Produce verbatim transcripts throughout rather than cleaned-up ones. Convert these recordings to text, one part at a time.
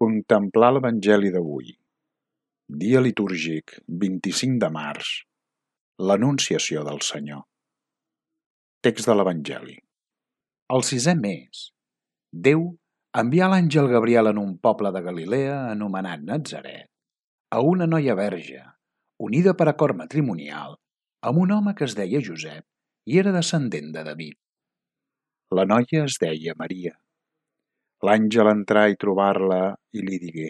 Contemplar l'Evangeli d'avui, dia litúrgic vint-i-cinc de març, l'Anunciació del Senyor. Text de l'Evangeli. Al sisè mes, Déu envià l'àngel Gabriel en un poble de Galilea anomenat Natzaret a una noia verge, unida per acord matrimonial amb un home que es deia Josep i era descendent de David. La noia es deia Maria. L'àngel entrà i trobar-la i li digué: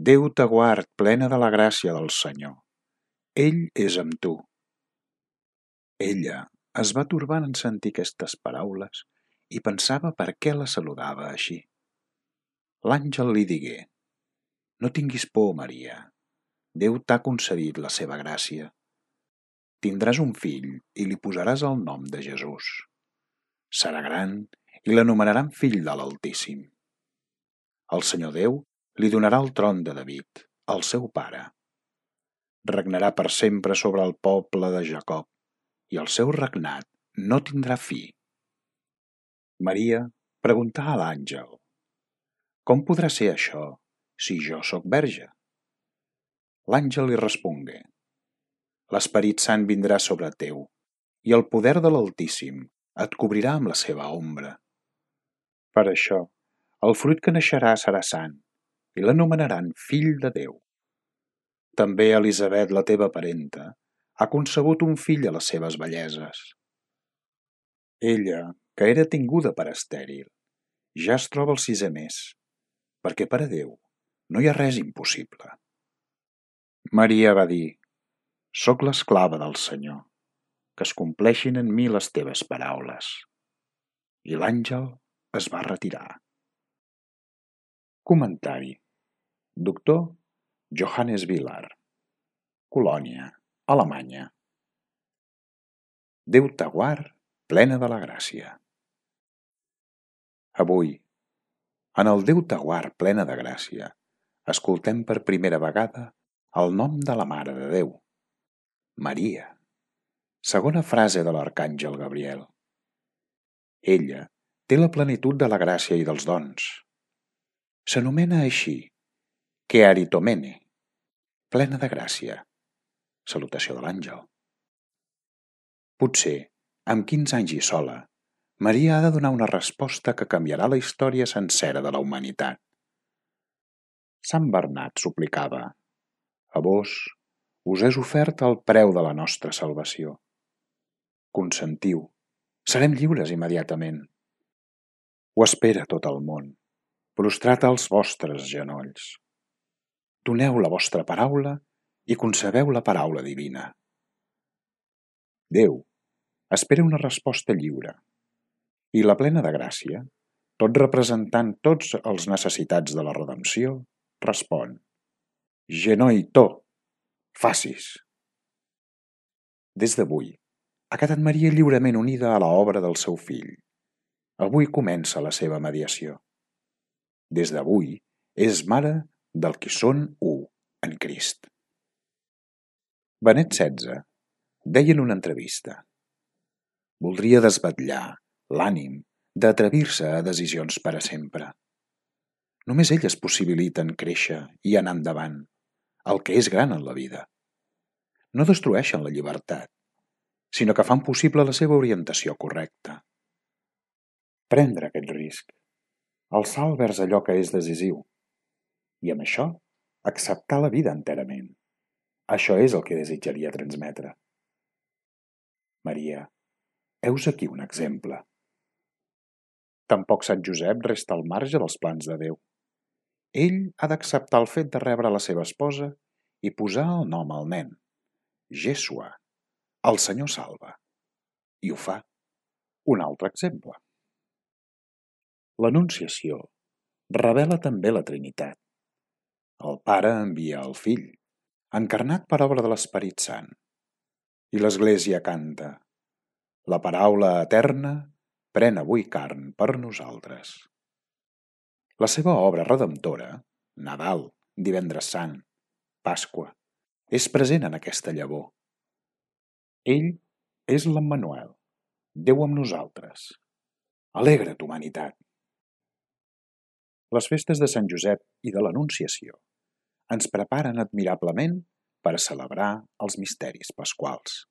Déu t'aguard, plena de la gràcia del Senyor. Ell és amb tu. Ella es va torbar en sentir aquestes paraules i pensava per què la saludava així. L'àngel li digué: No tinguis por, Maria. Déu t'ha concedit la seva gràcia. Tindràs un fill i li posaràs el nom de Jesús. Serà gran i l'anomenaran fill de l'Altíssim. El Senyor Déu li donarà el tron de David, el seu pare. Regnarà per sempre sobre el poble de Jacob, i el seu regnat no tindrà fi. Maria preguntà a l'àngel: Com podrà ser això, si jo sóc verge? L'àngel li respongué: L'Esperit Sant vindrà sobre teu, i el poder de l'Altíssim et cobrirà amb la seva ombra. Per això, el fruit que naixerà serà sant, i l'anomenaran fill de Déu. També Elisabet, la teva parenta, ha concebut un fill a les seves velleses. Ella, que era tinguda per estèril, ja es troba al sisè mes, perquè per a Déu no hi ha res impossible. Maria va dir: Soc l'esclava del Senyor, que es compleixin en mi les teves paraules. I l'àngel es va retirar. Comentari. Doctor Johannes Villard, Colònia, Alemanya. Déu t'aguard, plena de la gràcia. Avui, en el Déu t'aguard, plena de gràcia, escoltem per primera vegada el nom de la Mare de Déu, Maria, segona frase de l'arcàngel Gabriel. Ella té la plenitud de la gràcia i dels dons. S'anomena així, Kearitomene, plena de gràcia. Salutació de l'àngel. Potser, amb quinze anys i sola, Maria ha de donar una resposta que canviarà la història sencera de la humanitat. Sant Bernat suplicava: A vos us és ofert el preu de la nostra salvació. Consentiu, serem lliures immediatament. Ho espera tot el món, prostrat als vostres genolls. Doneu la vostra paraula i concebeu la paraula divina. Déu espera una resposta lliure, i la plena de gràcia, tot representant tots els necessitats de la redempció, respon: Genoito, facis. Des d'avui, ha quedat Maria lliurement unida a l'obra del seu fill. Avui comença la seva mediació. Des d'avui és mare del qui són u en Crist. Benet setze deia en una entrevista: Voldria desvetllar l'ànim d'atrevir-se a decisions per a sempre. Només elles possibiliten créixer i anar endavant, el que és gran en la vida. No destrueixen la llibertat, sinó que fan possible la seva orientació correcta. Prendre aquest risc, el salt vers allò que és decisiu, i amb això acceptar la vida enterament. Això és el que desitjaria transmetre. Maria, heus aquí un exemple. Tampoc Sant Josep resta al marge dels plans de Déu. Ell ha d'acceptar el fet de rebre la seva esposa i posar el nom al nen, Jesua, el Senyor salva. I ho fa. Un altre exemple. L'Anunciació revela també la Trinitat. El Pare envia el Fill, encarnat per obra de l'Esperit Sant. I l'Església canta: La paraula eterna pren avui carn per nosaltres. La seva obra redemptora, Nadal, Divendres Sant, Pasqua, és present en aquesta llavor. Ell és l'Emmanuel, Déu amb nosaltres. Alegra't, humanitat! Les festes de Sant Josep i de l'Anunciació ens preparen admirablement per a celebrar els misteris pasquals.